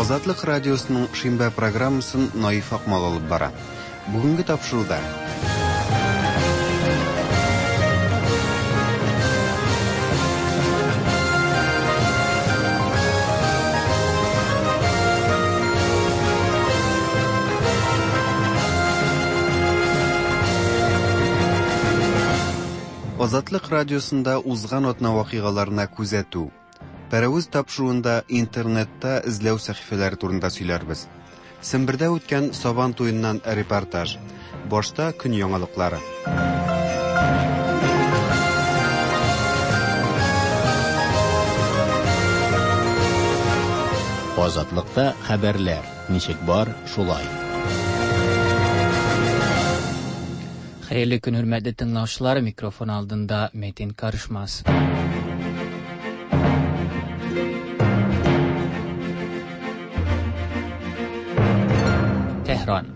Азатлык радиосының шимбә программасын Наиф Акмал алып бара. Бүгенге тапшыруда Азатлык радиосында узган атна вакыйгаларына күзәтү. Пәрәвез тапшыруында интернетта эзләү сәхифәләре турында сөйләрбез. Сембердә үткән Сабан туеннан репортаж. Башта көн яңалыклары. Азатлыкта хәбәрләр ничек бар, шулай. Хәерле көн, хөрмәтле тыңлаучылар, микрофон алдында Метин Карышмас. Tehran.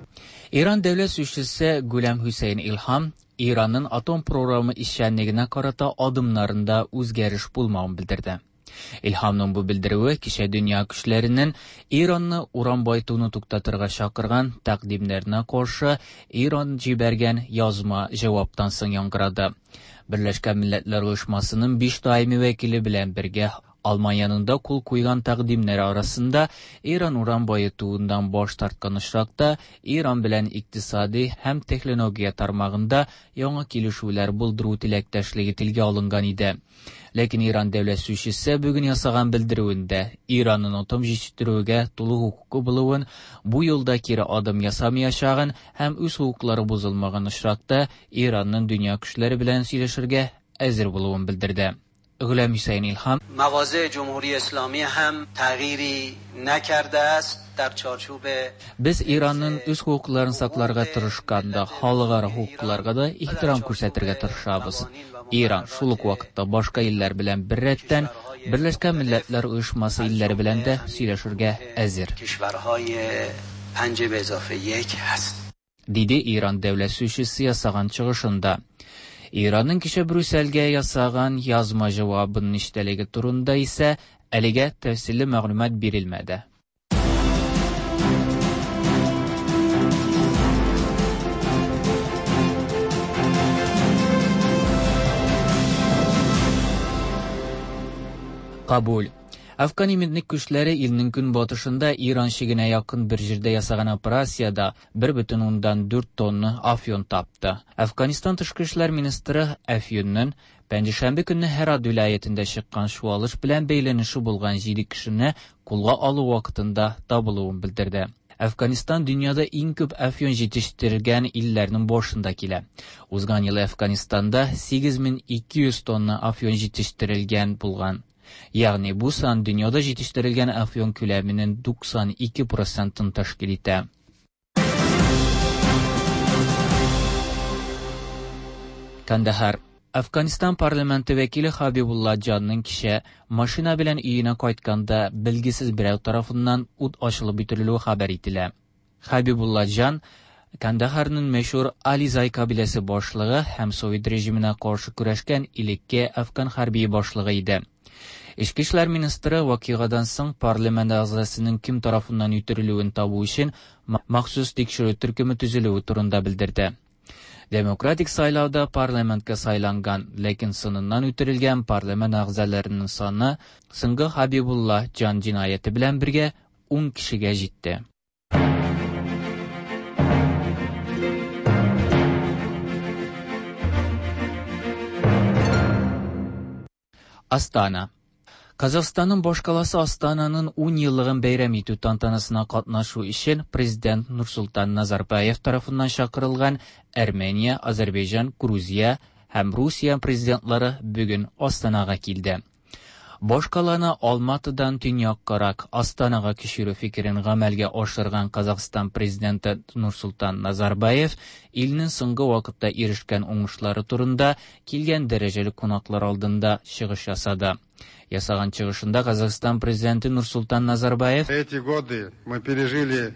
İran Devlet Sözcüsü Güləm Hüseyin İlham İranın atom programı işçənligine qarata adımlarında үзгәреш bulmağını bildirdi. İlhamның бу белдерүе кичә дөнья көчләренең Иранны уран байтуны туктатырга чакырган тәкъдимнәренә каршы Иран җибәргән язма җаваптан соң яңгырады. Берләшкән Милләтләр Оешмасының 5 даими вәкиле белән бергә Алманияның да кул куйган тәкъдимнәре арасында Иран уран баетуыннан баш тарткан очракта Иран белән икътисади һәм технология тармагында яңа килешүләр булдыру теләктәшлеге телгә алынган иде. Ләкин Иран дәүләт сөючесе бүген ясаган белдерүендә Иранның атом җитештерүгә тулы хокукы булуын, бу юлда кире адым ясамаячагын һәм үз хокуклары бозылмаган очракта Иранның дөнья көчләре белән сөйләшергә әзер булуын белдерде. Гөләм Hüseyin İlham مواضع جمهوری اسلامی هم تغییری نکرده است در چارچوب Без Иранның үз хокукларын сакларга тырышканда халыкара хокукларга да ихтирам күрсәтергә тырышабыз. Иран шул ук вакытта башка илләр белән беррәттән Берләшкән Милләтләр Оешмасы илләре белән дә сөйләшергә әзер. کشورهای پنج به اضافه یک هست. Диде Иран дәүләт сөючесе ясаган чыгышында. Иранның кичә Брюссельгә ясаган язма җавабының эчтәлеге турында исә әлегә тәфсилле мәгълүмат бирелмәде. Кабул. Афган иминлек көчләре илнең көнбатышында Иран чигенә якын бер җирдә ясаган операциядә 1,4 тонна афьон тапты. Афганистан тышкы эшләр министры афьонның пәнҗешәмбе көнне Һерат вилаятендә чыккан чуалыш белән бәйләнеше булган 7 кешене кулга алу вакытында табылуын белдерде. Афганистан дөньяда иң күп афьон җитештергән илләрнең башында килә. Узган ел Афганистанда 8200 тонна афьон җитештерелгән булган. Ягъни бу сан дөньяда җитештерелгән афьон күләменең 92%-ын тәшкил итә. Кандahar. Афганистан парламенты вәкиле Хабибулла Җанның кичә машина белән өенә кайтканда билгесез берәү тарафыннан ут ачылып үтерелүе хәбәр ителә. Хабибулла Җан Кандаһарның мәшһүр Ализай кабиләсе башлыгы һәм Совет режимына каршы көрәшкән элекке афган хәрби башлыгы иде. Эчке эшләр министры вакыйгадан соң парламент әгъзасының кем тарафыннан үтерелүен табу өчен махсус тикшерү төркеме төзелүе турында белдерде. Демократик сайлауда парламентка сайланган, ләкин сыныннан үтерелгән парламент әгъзаларының саны соңгы Хабибулла Җан җинаяте белән бергә 10 кешегә җитте. Астана. Казахстанның башкаласы Астананың 10 еллыгын бәйрәм итү тантанасына катнашу өчен президент Нурсултан Назарбаев тарафыннан чакырылган Армения, Азербайҗан, Грузия һәм Русия президентлары бүген Астанага килде. Башкаланы Алматыдан төньяккарак Астанага күчерү фикерен гамәлгә ашырган Казахстан президенты Нурсултан Назарбаев илнең соңгы вакытта ирешкән уңышлары турында килгән дәрәҗәле кунаклар алдында чыгыш ясады. Ясаган чыгышында Казахстан президенты Нурсултан Назарбаев Эти годы мы пережили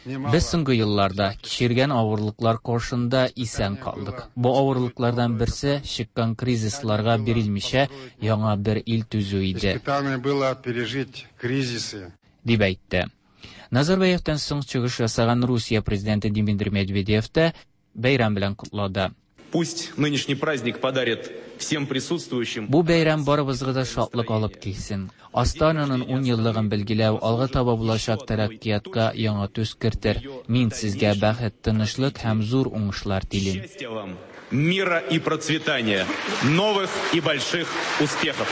немало. Без соңгы елларда кичергән авырлыклар каршында исән калдык. Бу авырлыклардан берсе чыккан кризисларга бирелмичә яңа бер ил төзү иде, Испытание было пережить кризисы. дип әйтте. Назарбаевтан соң чыгыш ясаган Русия президенты Дмитрий Медведев та бәйрәм белән котлады. Пусть нынешний праздник подарит всем присутствующим. Бу бәйрәм барыбызга да шатлык алып килсен. Астананың 10 еллыгын билгеләү алга таба булачак тәрәккыятка яңа төс кертер. Мин сезгә бәхет, тынычлык һәм зур уңышлар телим. Счастья вам, мира и процветания, новых и больших успехов.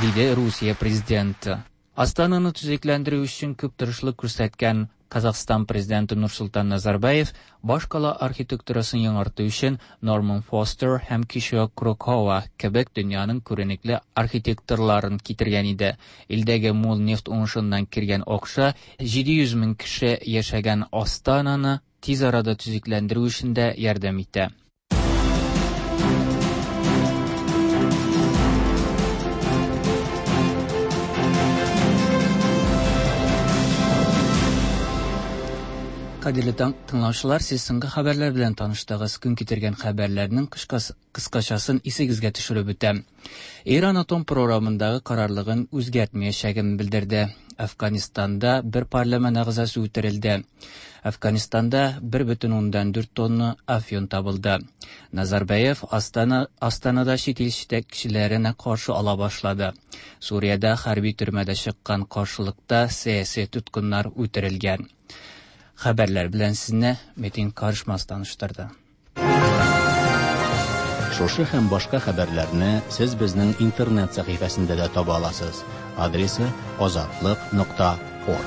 Диде Русия президенты. Астананы төзекләндерү өчен күп тырышлык күрсәткән Казахстан президенты Нурсултан Назарбаев башкала архитектурасын яңарту өчен Норман Фостер һәм Кишио Курокава кебек дөньяның күренекле архитекторларын китергән иде. Илдәге мул нефть уңышыннан кергән акча 700 мең кеше яшәгән Астананы тиз арада төзекләндерү өчен дә ярдәм итә. Кадерле тыңлаучылар, сез соңгы хәбәрләр белән таныштыгыз. Көн китергән хәбәрләрнең кыскачасын исегезгә төшереп үтәм. Иран атом программындагы карарлыгын үзгәртмәячәген белдерде. Афганистанда бер парламент әгъзасы үтерелде. Афганистанда 1,4 тонна афьон табылды. Назарбаев Астана, Астанада чит ил җитәкчеләренә каршы ала башлады. Суриядә хәрби төрмәдә чыккан каршылыкта сәяси тоткыннар үтерелгән. Хәбәрләр белән сезне Метин Карышмас таныштырды. Шушы һәм башка хәбәрләрне сез безнең интернет сәхифәсендә дә таба аласыз. Адресы azatliq.org.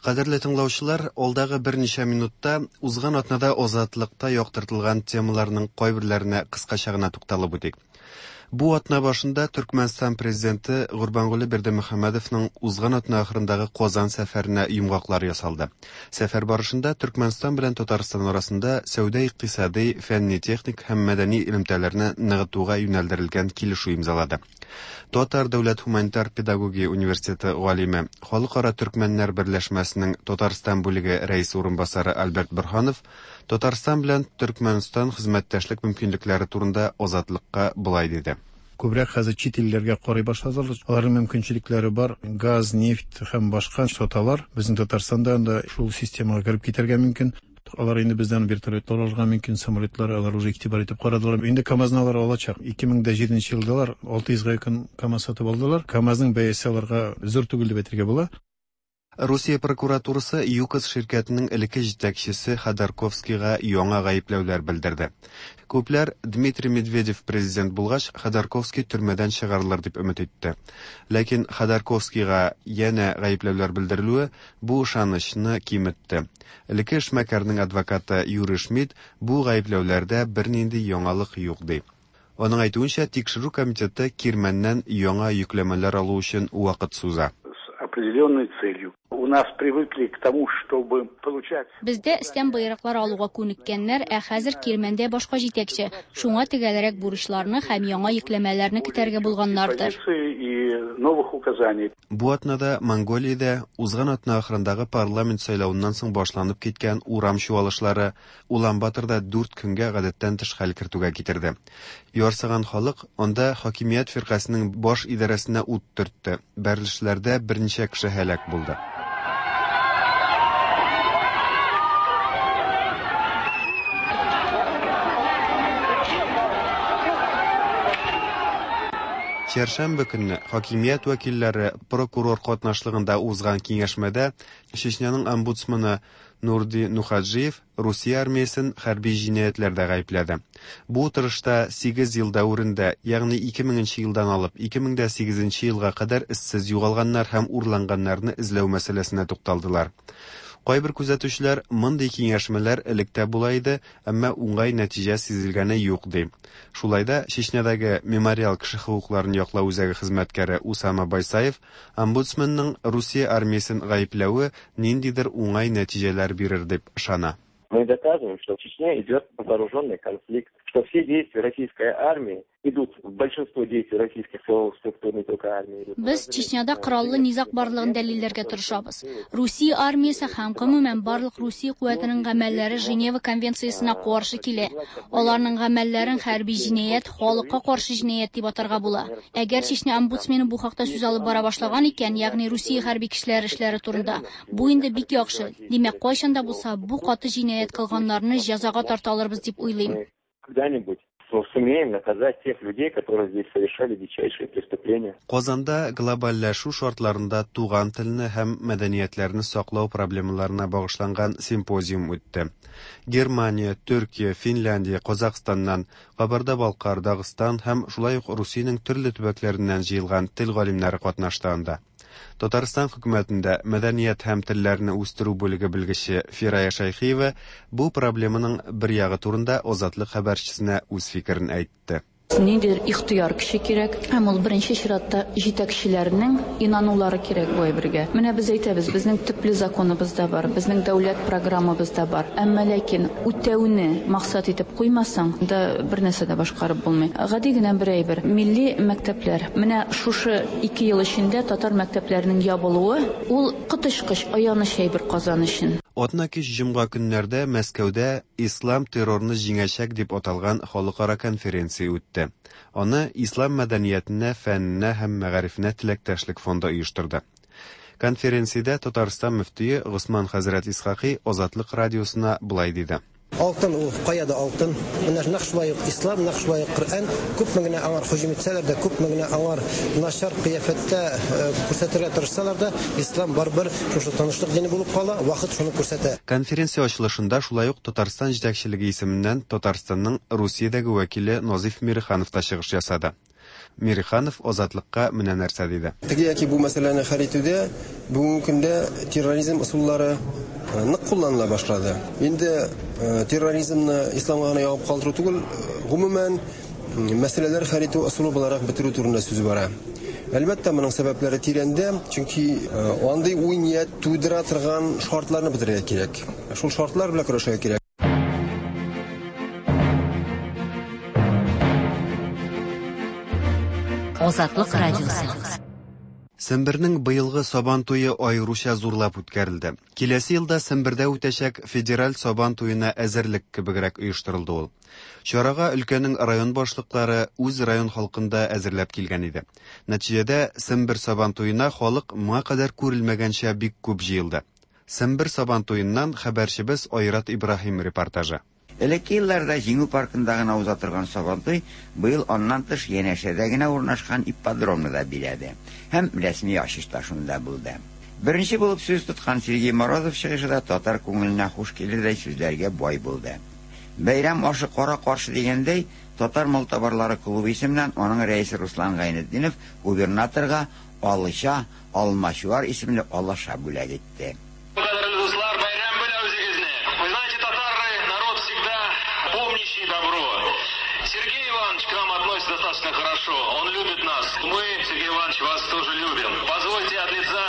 Кадерле тыңлаучылар, алдагы берничә минутта узган атнада Азатлыкта яктыртылган темаларның кайберләренә кыскача гына тукталып үтик. Бу атна башында Төркмәнстан президенты Гурбангулы Бердымөхәммәдовның узган атна ахырындагы Казан сәфәренә йомгаклар ясалды. Сәфәр барышында Төркмәнстан белән Татарстан арасында сәүдә-икътисади, фәнни-техник һәм мәдәни элемтәләрне ныгытуга юнәлдерелгән килешү имзалады. Татар дәүләт һуманитар педагогия университеты галиме, Халыкара төркмәннәр берләшмәсенең Татарстан бүлеге рәисе урынбасары Альберт Борһанов Татарстан белән Төркмәнстан хезмәттәшлек мөмкинлекләре турында Азатлыкка болай диде. Күбрәк хәзер чит илләргә карый башладылар. Аларның мөмкинчелекләре бар. Газ, нефть һәм башка саталар. Безнең Татарстанда анда шул системага кереп китәргә мөмкин. Алар инде бездән вертолетлар алырга мөмкин, самолетлар алар уже игътибар итеп карадылар. Инде КАМАЗны алар алачак. 2007 елда алар 600 га якын КАМАЗ сатып алдылар. КАМАЗның бәясе аларга зур түгел дип әйтергә була. Русия прокуратурасы ЮКОС ширкәтенең элекке җитәкчесе Ходорковскийга яңа гаепләүләр белдерде. Күпләр Дмитрий Медведев президент булгач, Ходорковский төрмәдән чыгарылыр дип өмет итте. Ләкин Ходорковскийга янә гаепләүләр белдерелүе бу ышанычны киметте. Элекке эшмәкәрнең адвокаты Юрий Шмидт бу гаепләүләрдә бернинди яңалык юк ди. Аның әйтүенчә, тикшерү комитеты Кирмәннән яңа йөкләмәләр алу өчен вакыт суза. С определенной целью. У нас привыкли к тому, чтобы получать... Бездә өстән боерыклар алуга күнеккәннәр, ә хәзер Кирмәндә башка җитәкче. Шуңа төгәлрәк бурычларны һәм яңа йөкләмәләрне көтәргә булганнардыр. И новых указаний. Бу атнада Монголиядә узган атна ахырындагы парламент сайлавыннан соң башланып киткән урам чуалышлары Улан-Баторда 4 көнгә гадәттән тыш хәл кертүгә китерде. Ярсыган халык анда хакимият фиркасының баш идарәсенә ут төртте. Бәрелешләрдә берничә кеше һәлак булды. Чәршәмбе көнне хакимият вәкилләре прокурор катнашлыгында узган киңәшмәдә Чечняның омбудсмены Нурди Нухаджиев Русия армиясен хәрби җинаятьләрдә гаепләде. Бу утырышта 8 ел дәверендә, ягъни 2000 елдан алып 2008 елга кадәр эзсез югалганнар һәм урланганнарны эзләү мәсьәләсенә тукталдылар. Кайбер күзәтүчеләр мондый киңәшмәләр электә була иде, әмма уңай нәтиҗә сизелгәне юк ди. Шулай да Чечнядагы Мемориал кеше хокукларын яклау үзәге хезмәткәре Усама Байсаев омбудсменның Русия армиясен гаепләве ниндидер уңай нәтиҗәләр бирер дип ышана. Мы доказываем, что в Чечне идет вооруженный конфликт, что все действия российской армии идут, большинство действий российских силовых структур, не только армии. Идут. Без Чечняда кораллы низаг барлыгын дәлилләргә тырышабыз. Русия армиясе һәм гомумән барлык Русия куәтенең гамәлләре Женева конвенциясенә каршы килә. Аларның гамәлләрен хәрби җинаять, халыкка каршы җинаять дип атарга була. Әгәр Чечня омбудсмены бу хакта сүз алып бара башлаган икән, ягъни Русия хәрби кешеләре эшләре турында, бу инде бик яхшы. Димәк, кайчан да булса бу каты җинаять кылганнарны җәзага тарта алырбыз дип уйлыйм. Когда-нибудь сумеем наказать тех людей, которые здесь совершали дичайшие преступления. Казанда глобальләшү шартларында туган телне һәм мәдәниятләрне саклау проблемаларына багышланган симпозиум үтте. Германия, Төркия, Финляндия, Казахстаннан, Кабарда-Балкар, Дагыстан һәм шулай ук Русиянең төрле төбәкләреннән җыелган тел галимнәре катнашты анда. Татарстан хөкүмәтендә мәдәният һәм телләрне үстерү бүлеге белгече Фирая Шәйхиева бу проблеманың бер ягы турында Азатлык хәбәрчесенә үз фикерен әйтте. Ниндидер ихтыяр көче кирәк, һәм ул беренче чиратта җитәкчеләрнең инанулары кирәк бу әйбергә. Менә без әйтәбез, безнең төпле законыбыз да бар, безнең дәүләт программабыз да бар. Әмма ләкин үтәүне максат итеп куймасаң да бер нәрсә дә башкарып булмый. Гади генә бер әйбер. Милли мәктәпләр. Менә шушы 2 ел эчендә татар мәктәпләренең ябылуы ул коточкыч аяныч әйбер Казан өчен. Атна кич җомга көннәрдә Мәскәүдә Ислам террорны җиңәчәк дип аталган халыкара конференция үтте. Аны Ислам мәдәниятенә, фәненә һәм мәгарифенә теләктәшлек фонды оештырды. Конференциядә Татарстан мөфтие Госман хәзрәт Исхакый Азатлык радиосына болай диде. Алтын ул кая да алтын. Менә нәкъ шулай ук ислам, нәкъ шулай ук Коръән күпме генә аңар һөҗүм итсәләр дә, күпме генә аңар начар кыяфәттә күрсәтергә тырышсалар да, ислам барыбер шушы тынычлык дине булып кала, вакыт шуны күрсәтә. Конференция ачылышында шулай ук Татарстан җитәкчелеге исеменнән Татарстанның Русиядәге вәкиле Назиф Мириханов та чыгыш ясады. Мириханов Азатлыкка менә нәрсә диде. Теге яки бу мәсьәләне хәл итүдә бүгенге көндә терроризм ысуллары нык кулланыла башлады. Инде терроризмны исламга гына ябып калдыру түгел, гомумән мәсьәләләр хәл итү ысулы буларак бетерү турында сүз бара. Әлбәттә, моның сәбәпләре тирәндә, чөнки андый уй-ният тудыра торган шартларны бетерергә кирәк. Шул шартлар белән көрәшергә кирәк. Азатлык радиосы. Сембернең быелгы Сабан туе аеруча зурлап үткәрелде. Киләсе елда Сембердә үтәчәк федераль Сабан туена әзерлек кебегрәк оештырылды ул. Чарага өлкәнең район башлыклары үз район халкында әзерләп килгән иде. Нәтиҗәдә Сембер Сабан туена халык моңа кадәр күрелмәгәнчә бик күп җыелды. Сембер Сабан туеннан хәбәрчебез Айрат Ибраһим репортажы. Элекке елларда Җиңү паркында гына уза торган Сабантуй быел аннан тыш янәшәдә генә урнашкан ипподромны да биләде. Һәм рәсми ачыш та шунда булды. Беренче булып сүз тоткан Сергей Морозов чыгышы да татар күңеленә хуш килердәй сүзләргә бай булды. Бәйрәм ашы кара каршы дигәндәй, Татар малтабарлары клубы исеменнән аның рәисе Руслан Гайнетдинов губернаторга Алыча Алмачуар исемле алаша бүләк итте. Достаточно хорошо. Он любит нас. Мы, Сергей Иванович, вас тоже любим. Позвольте от лица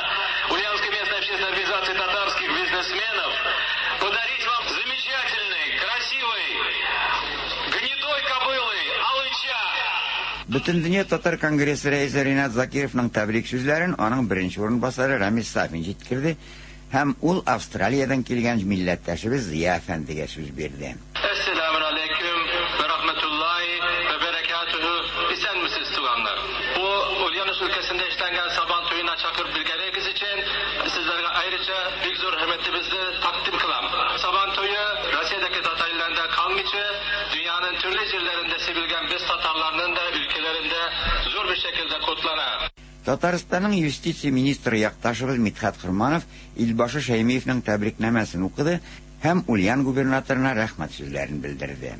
Ульяновской местной общественной организации татарских бизнесменов подарить вам замечательный, красивый, гнедой кобылы Алыча. Бөтендөнья татар конгрессы рәисе Ринат Закировның тәбрик сүзләрен аның беренче урынбасары Рамис Сафин җиткерде һәм ул Австралиядән килгән милләттәшебез Зия әфәндегә сүз бирде. Әссәламу алейкум вә рахматуллахи вә бәрәкәтүһү. Исәнмесез, туганнар. Бу Ульяновск өлкәсендә эшләнгән Сабан туена чакырып биргәнегез өчен сезләргә аеруча бик зур хөрмәтебезне тәкъдим кылам. Сабан туе Россиядәге татар илләрендә калмыйча, дөньяның төрле җирләрендә сибелгән без татарларның да өлкәләрендә зур бер шәкелдә котлана. Татарстанның юстиция министры якташыбыз Мидхәт Хорманов Илбашы Шәймиевның тәбрикнамәсен укыды һәм Ульян губернаторына рәхмәт сүзләрен белдерде.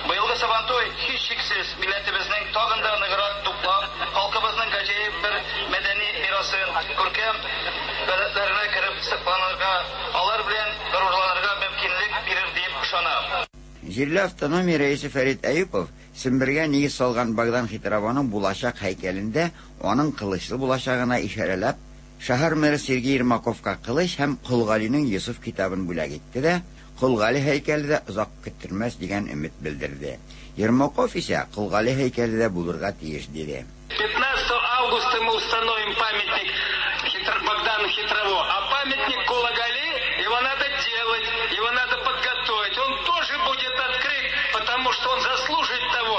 Быелгы Сабантуй һичшиксез милләтебезнең тагын да ныграк туплап, халкыбызның гаҗәеп бер мәдәни мирасын, күркәм гадәтләренә кереп сакланырга, алар белән горурланырга мөмкинлек бирер дип ышанам. Җирле автономия рәисе Фәрит Әюпов Сембергә нигез салган Богдан Хитрованың булачак һәйкәлендә аның кылычлы булачагына ишарәләп Шәһәр мэры Сергей Ермаковка кылыч һәм Кол Галинең Йосыф китабын бүләк итте дә, Кол Гали һәйкәле дә озак көттермәс дигән өмет белдерде. Ермаков исә Кол Гали һәйкәле дә булырга тиеш диде. 15 августа мы установим памятник Богдану Хитрово, а памятник Кула Гали, его надо делать, его надо подготовить. Он тоже будет открыт, потому что он заслужит того,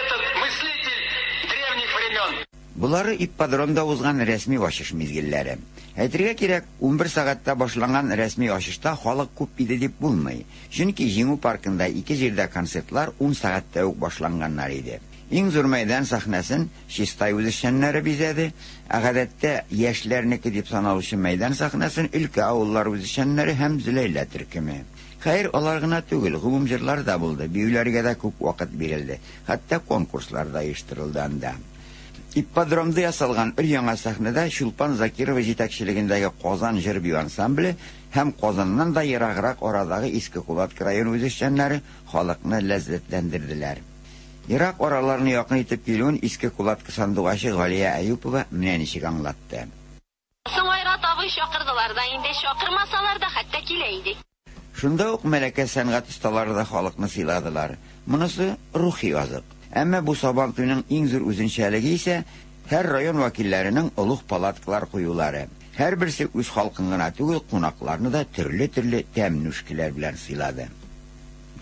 этот мыслитель древних времен. Болары ипподромда узган рәсми ачыш мизгелләре. Әйтергә кирәк, 11 сәгатьтә башланган рәсми ачышта халык күп иде дип булмый. Чөнки Җиңү паркында ике җирдә концертлар 10 сәгатьтә үк башланганнар иде. Иң зур мәйдан сәхнәсен Чистай үзешчәннәре бизәде, ә гадәттә яшьләрнеке дип саналучы мәйдан сәхнәсен өлкә авыллары үзешчәннәре һәм Зөләйлә төркеме. Хәер, алар гына түгел, гомум җырлар да булды, биюләргә дә күп вакыт бирелде, хәтта конкурслар да оештырылды анда. Ипподромда ясалган өр-яңа сәхнәдә Чулпан Закирова җитәкчелегендәге Казан җыр-бию ансамбле һәм Казаннан да ераграк арадагы Иске Кулатка районы үзешчәннәре халыкны ләззәтләндерделәр. Ерак араларны якын итеп килүен Иске Кулатка сандугачы Галия Әюпова менә ничек аңлатты. Соң Айрат абый чакырдылар да инде, чакырмасалар да хәтта килә идек. Шунда ук Мәләкәс сәнгать осталары да халыкны сыйладылар. Монысы, рухи азык. Әмма бу Сабантуйның иң зур үзенчәлеге исә, һәр район вәкилләренең олуг палаткалар куюлары. Һәрберсе үз халкын гына түгел, кунакларны да төрле-төрле тәм-нүшкеләр белән сыйлады.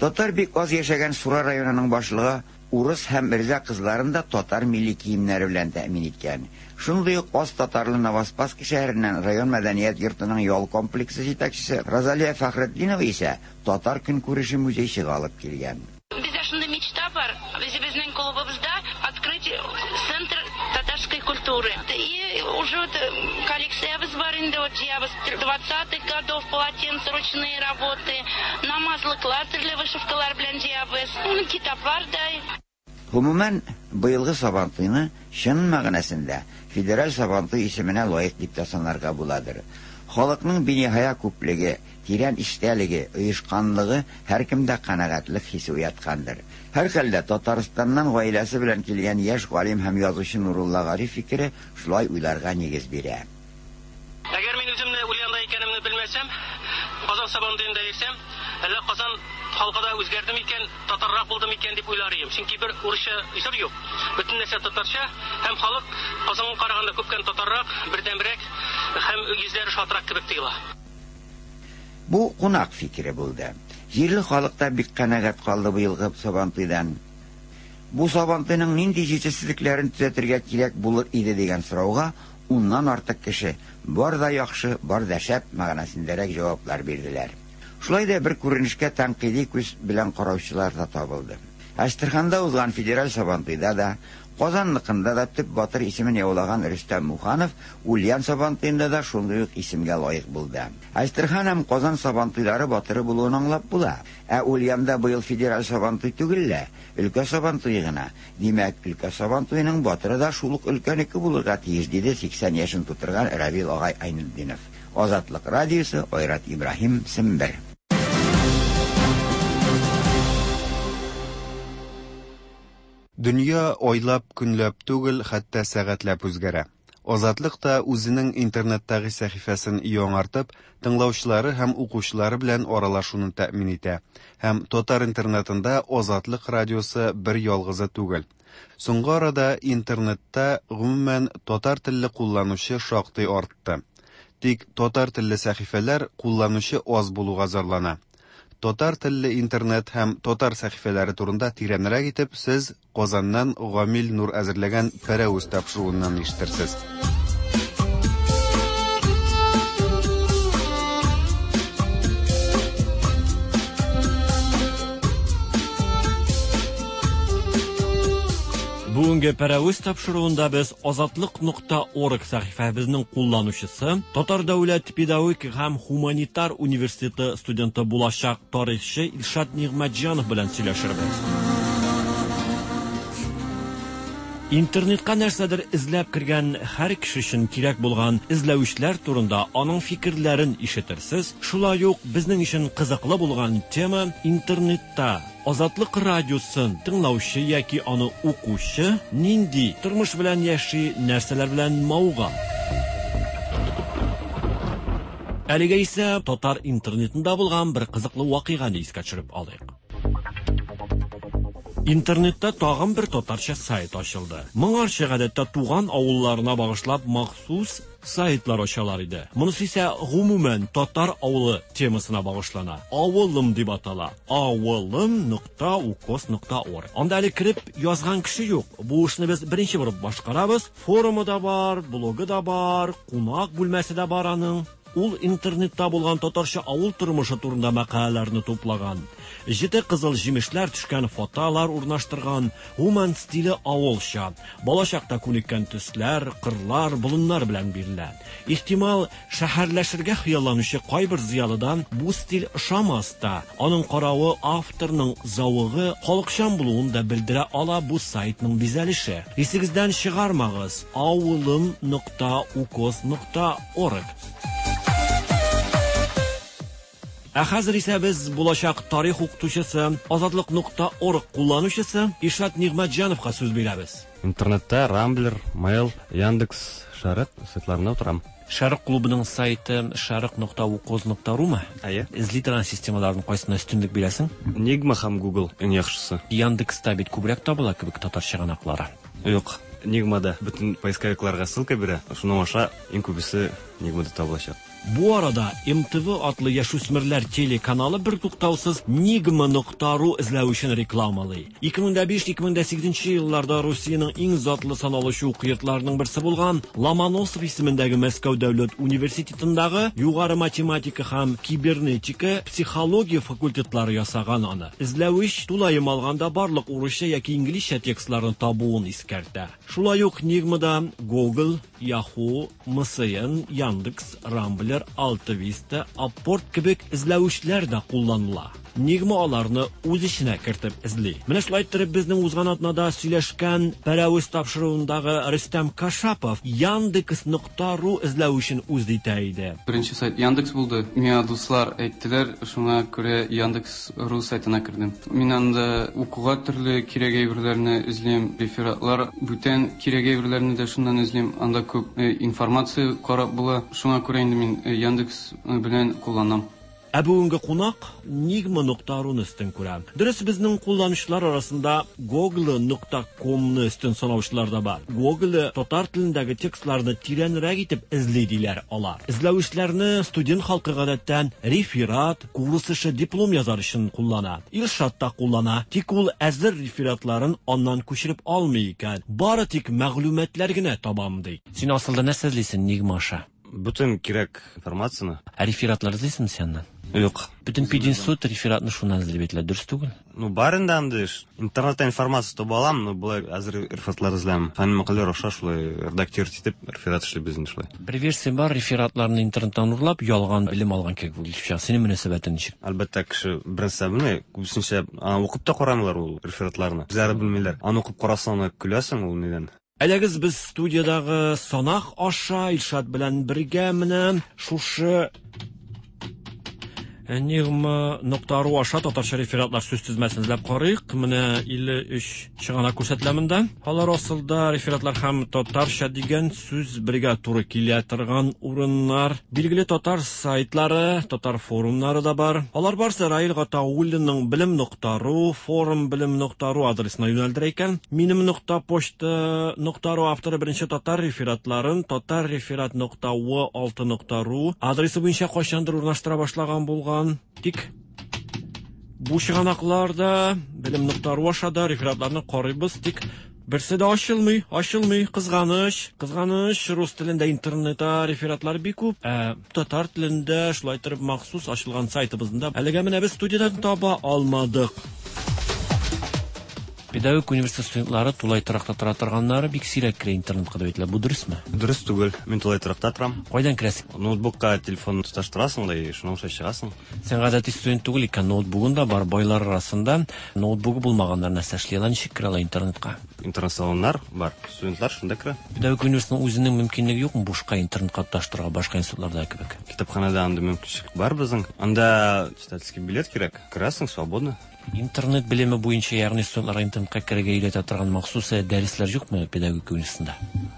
Татар бик аз яшәгән Сура районының башлыгы Урыс һәм мирза кызларын да татар милли киемнәре белән тәэмин иткән. Шундый ук аз татарлы Новоспасский шәһәреннән район мәдәният йортының ял комплексы җитәкчесе Розалия Фәхретдинова исә татар көнкүреше музейчыгы алып килгән. Бездә шундый мечта бар, үзебезнең клубыбызда открыть центр татарской культуры. И уже вот коллекциябез бар инде, вот җыябыз двадцатых годов полотенца, ручные работы, намазлыклар төрле вышивкалар белән җыябыз, китаплар да. Гомумән, быелгы Сабантуйны чын мәгънәсендә федераль Сабантуй исеменә лаек дип тә санарга буладыр. Халыкның биниһая күплеге, тирән эчтәлеге, оешканлыгы һәркемдә канәгатьлек хисе уяткандыр. Һәрхәлдә, Татарстаннан гаиләсе белән килгән яшь галим һәм язучы Нурулла Гариф фикере шулай уйларга нигез бирә. Әгәр мин үземне Ульянда икәнемне белмәсәм, Казан Сабантуенда йөрсәм, әллә Казан халкы да үзгәрде микән, татаррак булды микән дип уйлар идем. Чөнки бер урысча җыр юк. Бөтен нәрсә татарча һәм халык Казанга караганда күпкә татаррак, бердәмрәк һәм йөзләре шатрак кебек тоела. Бу кунак фикере булды. Җирле халык та бик канәгать калды быелгы Сабантуйдан. Бу Сабантуйның нинди җитешсезлекләрен төзәтергә кирәк булыр иде дигән сорауга уннан артык кеше бар да яхшы, бар да шәп мәгънәсендәрәк җаваплар бирделәр. Шулай да бер күренешкә тәнкыйди күз белән караучылар да табылды. Әстерханда узган федераль Сабантуйда да, Казанныкында да төп батыр исемен яулаган Рөстәм Муханов Ульян Сабантуенда да шундый ук исемгә лаек булды. Әстерхан һәм Казан Сабантуйлары батыры булуын аңлап була. Ә Ульянда быел федераль Сабантуй түгел лә, өлкә Сабантуе гына. Димәк, өлкә Сабантуеның батыры да шул ук өлкәнеке булырга тиеш, диде 80 яшен тутырган Равил агай Айнетдинов. Азатлык радиосы, Айрат Ибраһим, Сембер. Дөнья айлап, көнләп түгел, хәтта сәгатьләп үзгәрә. Азатлык та үзенең интернеттагы сәхифәсен яңартып, тыңлаучылары һәм укучылары белән аралашуны тәэмин итә. Һәм татар интернетында Азатлык радиосы бер ялгызы түгел. Соңгы арада интернетта, гомумән, татар телле кулланучы шактый артты. Тик татар телле сәхифәләр кулланучы аз булуга зарлана. Татар телле интернет һәм татар сәхифәләре турында тирәнрәк итеп сез Казаннан Гамил Нур әзерләгән Пәрәвез тапшыруыннан ишетерсез. Бүгенге Пәрәвез тапшыруында без Азатлык нокта орг сәхифәбезнең кулланучысы, Татар дәүләт педагогик һәм һуманитар университеты студенты булачак тарихчы Илшат Нигъмәтҗанов белән сөйләшербез. Интернетка нәрсәдер эзләп кергән һәр кеше өчен кирәк булган эзләүчләр турында аның фикерләрен ишетерсез. Шулай ук безнең өчен кызыклы булган тема интернетта Азатлык радиосын тыңлаучы яки аны укучы нинди тормыш белән яши, нәрсәләр белән мавыга. Әлегә исә татар интернетында булган бер кызыклы вакыйганы искә төшереп алыйк. Интернетта тагын бер татарча сайт ачылды. Моңарчы гадәттә туган авылларына багышлап махсус сайтлар ачалар иде. Монысы исә гомумән татар авылы темасына багышлана. Авылым дип атала. Авылым нокта укос нокта орг. Анда әле кереп язган кеше юк. Бу эшне без беренче булып башкарабыз. Форумы да бар, блогы да бар, кунак бүлмәсе дә бар аның. Ул интернетта булган татарча авыл тормышы турында мәкаләләрне туплаган. Җете кызыл җимешләр төшкән фотолар урнаштырган. Гомумән стиле авылча. Балачакта күнеккән төсләр, кырлар, болыннар белән бирелә. Ихтимал, шәһәрләшергә хыялланучы кайбер зыялыдан бу стиль ошамас та. Аның каравы авторның зәвыгы халыкчан булуын да белдерә ала бу сайтның бизәлеше. Исегездән чыгармагыз, авылым нокта укос нокта орг. Ә хәзер исә без булачак тарих укытучысы, Азатлык нокта орг кулланучысы Илшат Нигъмәтҗановка сүз бирәбез. Интернетта Рамблер, Mail, Яндекс, Шәрык сайтларында утырам. Шәрык клубының сайты шәрык нокта укоз нокта румы? Әйе. Эзли торган системаларның кайсына өстенлек бирәсең? Нигма һәм Google иң яхшысы. Яндекста бит күбрәк табыла кебек татар чыганаклары. Юк, Нигмада бөтен поисковикларга ссылка бирә, шуның аша иң күбесе Нигмада табылачак. Бу арада МТВ атлы яшүсмерләр телеканалы бертуктаусыз Нигма нокта ру эзләвечен рекламалый. 2005-2008 елларда Русиянең иң затлы саналучы уку йортларының берсе булган Ломоносов исемендәге Мәскәү дәүләт университетындагы югары математика һәм кибернетика, психология факультетлары ясаган аны. Эзләвеч тулаем алганда барлык урысча яки инглизчә текстларны табуын искәртә. Шулай ук Нигмада Google, Yahoo, MSN, Яндекс, Рамблер, Алтависта, Апорт кебек эзләвечләр дә кулланыла. Нигма аларны үз эченә кертеп эзли. Менә шулай иттереп безнең узган атнада сөйләшкән Пәрәвез тапшыруындагы Рөстәм Кашапов Яндекс нокта ру эзләвечен үз итә иде. Беренче сайт Яндекс булды. Миңа дуслар әйттеләр, шуңа күрә Яндекс ру сайтына кердем. Мин анда укуга төрле кирәк әйберләрне эзлим, рефератлар, бүтән кирәк әйберләрне дә шуннан эзлим. Анда күп информация карап була. Шуңа күрә инде мин Яндекс белән кулланам. Ә бүгенге кунак Нигма нокта руны өстен күрә. Дөрес, безнең кулланучылар арасында Google нокта комны өстен санаучылар да бар. Google татар телендәге текстларны тирәнрәк итеп эзли диләр алар. Эзләүчеләрне студент халкы гадәттән реферат, курс эше, диплом язар өчен куллана. Илшат та куллана, тик ул әзер рефератларын аннан күчереп алмый икән. Бары тик мәгълүматлар генә табам ди. Син асылда нәрсә эзлисең Нигма аша? Бөтен кирәк информацияне. Ә рефератлар эзлисеңме син аннан? Юк. Бөтен пединститут рефератны шуннан эзли бит, дөрес түгел? Ну, бар инде андый эш. Интернетта информация таба алам, но болай әзер рефератлар эзләмим. Фәнни мәкаләләр аша шулай редактировать итеп реферат эшлибез инде шулай. Бер версия бар, рефератларны интернеттан урлап, ялган белем алган кебек булып чыга. Синең мөнәсәбәтең ничек? Әлбәттә, кеше беренче белми, күбесенчә аны укып та карамыйлар ул рефератларны. Үзләре белмиләр. Аны укып карасаң, аны көләсең ул нидән. Әйдәгез, без студиядагы санак аша Илшат белән бергә менә шушы Нигма нокта ру аша татарча рефератлар сүз тезмәсен эзләп карыйк. Менә 53 чыганак күрсәтелә монда. Алар асылда рефератлар һәм татарча дигән сүз бергә туры килә торган урыннар. Билгеле татар сайтлары, татар форумнары да бар. Алар барсы Раил Гатауллинның белем нокта ру, форум белем нокта ру адресына юнәлдерә икән. Минем нокта почта нокта ру авторы беренче татар рефератларын татар реферат нокта в алты нокта ру адресы буенча кайчандыр урнаштыра башлаган булган. Тик бу чыганакларда белем нокта ру аша да рефератларны карыйбыз, тик берсе дә ачылмый, ачылмый, кызганыч, кызганыч, рус телендә интернетта рефератлар бик күп, ә татар телендә шулай торып махсус ачылган сайтыбызда әлегә менә без студиядан таба алмадык. Педагогик университет студентлары тулай торакта тора торганнары бик сирәк керә интернетка дип әйтелә. Бу дөресме? Дөрес түгел. Мин тулай торакта торам. Кайдан керәсең? Ноутбукка телефон тоташтырасың да, и шуның аша чыгасың. Син гадәти студент түгел икән, ноутбугың да бар. Байлар арасында ноутбугы булмаганнар нәрсә эшли ала, ничек керә ала интернетка? Интернет салоннар бар. Студентлар шунда керә. Педагогик университетның үзенең мөмкинлеге юкмы бушка интернетка тоташтырырга башка институтларда кебек? Китапханәдә андый мөмкинчелек бар безнең. Анда читательский билет кирәк. Керәсең свободно. Интернет белеме буенча, ягъни студентларга интернетка керергә өйрәтә торган махсус дәресләр юкмы педагогика университетында?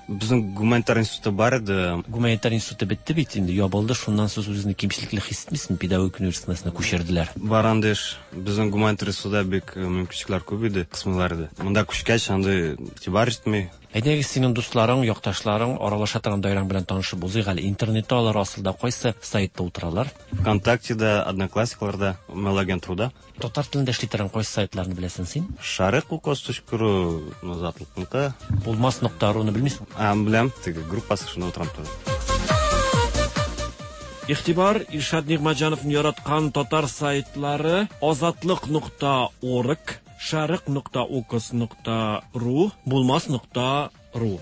Безнең гуманитар институты бар иде. Гуманитар институты бетте бит инде, ябылды. Шуннан соң үзеңне кимчелекле хис итмисеңме? Педагогика университетына күчерделәр. Бар андый эш. Безнең гуманитар институтта бик мөмкинчелекләр күп иде, кысмыйлар иде. Монда күчкәч, андый игътибар җитми. Әйдәгез, синең дусларың, якташларың, аралаша торган даирәң белән танышып узыйк әле. Интернетта алар асылда кайсы сайтта утыралар? ВКонтактеда, Одноклассникларда, Mail-агентруда. Татар телендә эшли торган кайсы сайтларны беләсең син? Шарык укос.ру, Азатлыкныкы. Булмас нокта руны белмисең? А, беләм, теге группасы шунда утырам тоже. Игътибар, Илшат Нигъмәтҗановны яраткан татар сайтлары азатлык нокта орг, шарык нокта укос нокта ру, булмас нокта ру.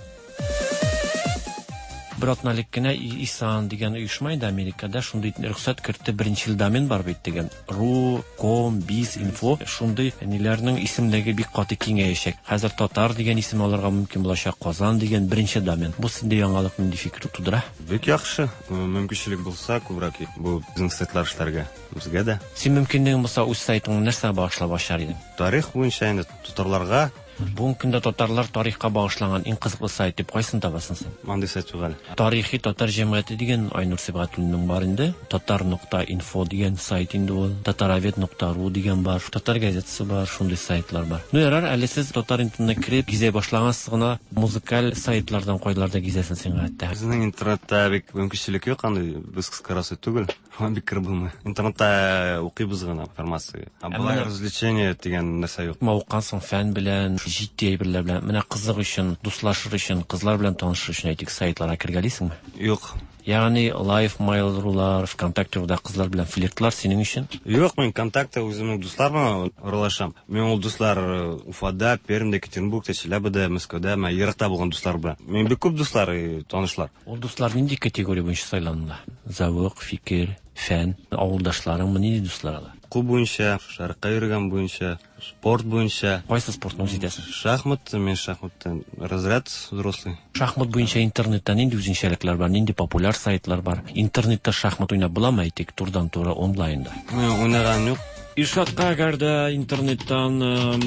Бер атна элек кенә ИСАН дигән оешма инде Америкада шундый рөхсәт кертте, беренчел домен бар бит дигән. Ру, ком, биз, инфо шундый ниләрнең исемлеге бик каты киңәячәк. Хәзер татар дигән исем алырга мөмкин булачак, Казан дигән беренче домен. Бу синдә яңалык нинди фикер тудыра? Бик яхшы. Мөмкинчелек булса, күбрәк бу безнең сайтлар эшләргә. Безгә дә. Син мөмкинлегең булса, үз сайтыңны нәрсәгә багышлап ачар идең? Тарих буенча инде татарларга. Бүгенге көндә татарлар тарихка багышланган иң кызыклы сайт дип кайсын табасың син? Мондый сайт юк әле. Тарихи татар җәмгыяте дигән Айнур Сибгатуллинның бар инде. Татар нокта инфо дигән сайт инде ул. Татаровед нокта ру дигән бар. Татар газетасы бар, шундый сайтлар бар. Ну ярар, әле сез татар интернетына кереп гизә башлагансыз гына, музыкаль сайтлардан кайларда гизәсең син гадәттә? Безнең интернетта бик мөмкинчелек юк андый, без кыскарасы түгел. Шуңа бик кереп булмый. Интернетта укыйбыз гына информация. Ә болай развлечение дигән нәрсә юк. Мавыккансың фән белән, җитди әйберләр белән. Менә кызык өчен, дуслашыр өчен, кызлар белән танышыр өчен әйтик, сайтларга кергәлисеңме? Юк. Ягъни Live, Mail.ru-лар, ВКонтакте.руда кызлар белән флиртлар синең өчен? Юк, мин ВКонтакте үземнең дуслар белән аралашам. Мин ул дуслар Уфада, Пермьдә, Екатеринбургта, Челябида, Мәскәүдә, менә еракта булган дуслар белән. Мин бик күп дуслар, танышлар. Ул дуслар нинди категория буенча сайланыла? Зәвык, фикер, фән, авылдашларыңмы, нинди дуслар алар? Уку буенча, шәрыкка йөргән буенча, спорт буенча. Кайсы спортны үз итәсең? Шахмат, мин шахматтан разряд взрослый. Шахмат буенча интернетта нинди үзенчәлекләр бар, нинди популяр сайтлар бар? Интернетта шахмат уйнап буламы, әйтик, турыдан-туры онлайнда? Мин уйнаганым юк. Илшатка әгәр дә интернеттан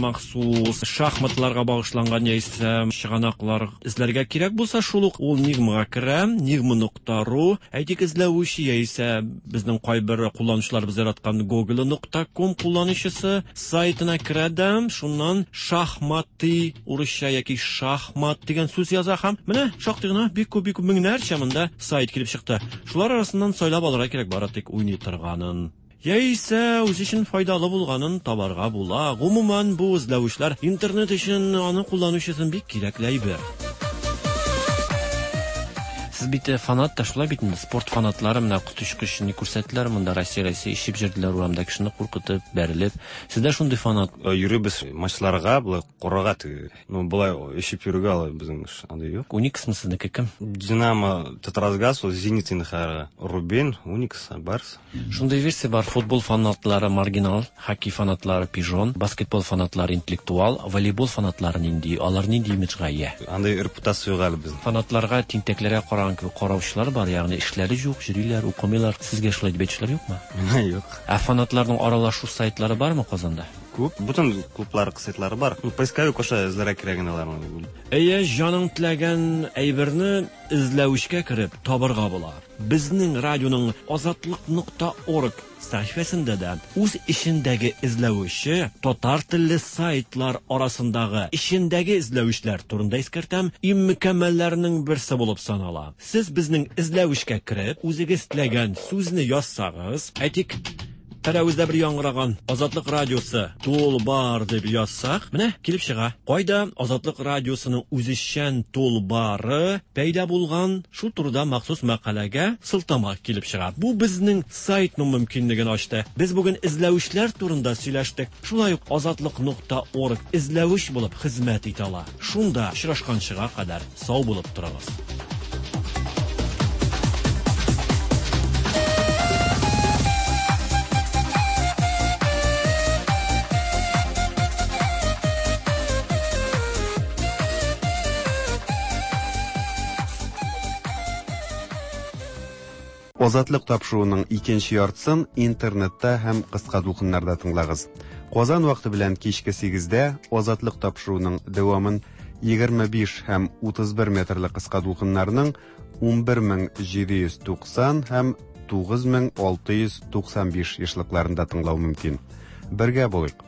махсус шахматларга багышланган яисә чыганаклар эзләргә кирәк булса, шул ук ул Нигмага керә, нигма нокта ру, әйтик, эзләүче яисә безнең кайбер кулланучыларыбыз яраткан Google нокта ком кулланучысы сайтына керә дә, шуннан шахматы урысча яки шахмат дигән сүз яза һәм менә шактый гына бик күп, бик күп меңнәрчә монда сайт килеп чыкты. Шулар арасыннан сайлап алырга кирәк бары тик уйный торганын. Яисә үз өчен файдалы булганын табарга була. Гомумән, бу эзләүчләр интернет өчен аны кулланучы өчен бик кирәкле әйбер. Сез бит фанат та шулай бит инде, спорт фанатлары менә коточкыч ни күрсәттеләр монда, Россия, Россия ишеп җөрделәр урамда кешене куркытып, бәрелеп. Сездә шундый фанат? Йөрибез матчларга, болай карарга теге. Ну, болай ишеп йөрергә алай безнең эш андый юк. Униксмы сезнеке кем? Динамо, Татразгаз, ул Зенит инде хәзер. Рубин, Уникс, Барс. Шундый версия бар, футбол фанатлары маргинал, хоккей фанатлары пижон, баскетбол фанатлары интеллектуал, волейбол фанатлары нинди, алар нинди имиджга ия? Андый репутация юк әле безнең. Фанатларга тинтәкләргә караган кебек караучылар бар, ягъни эшләре юк, йөриләр, укымыйлар. Сезгә шулай дип әйтүчеләр юкмы? Миңа юк. Ә фанатларның аралашу сайтлары бармы Казанда? Күп, бөтен клублар сайтлары бар. Ну, поисковик аша эзләргә кирәк инде аларны. Әйе, җаның теләгән әйберне эзләвечкә кереп табырга була. Безнең радионың азатлык нокта орг сәхифәсендә дә үз эчендәге эзләүче татар телле сайтлар арасындагы эчендәге эзләүчләр турында искәртәм, иң мөкәммәлләрнең берсе булып санала. Сез безнең эзләүчкә кереп, үзегез теләгән сүзне язсагыз, әйтик, Пәрәвездә бер яңгыраган Азатлык радиосы тулбар дип язсак, менә килеп чыга. Кайда Азатлык радиосының үзешчән тулбары пәйда булган, шул турыда махсус мәкаләгә сылтама килеп чыга. Бу безнең сайтның мөмкинлеген ачты. Без бүген эзләүчләр турында сөйләштек. Шулай ук азатлык нокта орг эзләүч булып хезмәт итә ала. Шунда очрашканчыга кадәр сау булып торыгыз. Азатлык тапшыруының икенче яртысын интернетта һәм кыска дулкыннарда тыңлагыз. Казан вакыты белән кичке 8-дә Азатлык тапшыруының дәвамын 25 һәм 31 метрлы кыска дулкыннарның 11790 һәм 9695 ешлыкларында тыңлау мөмкин. Бергә булыйк!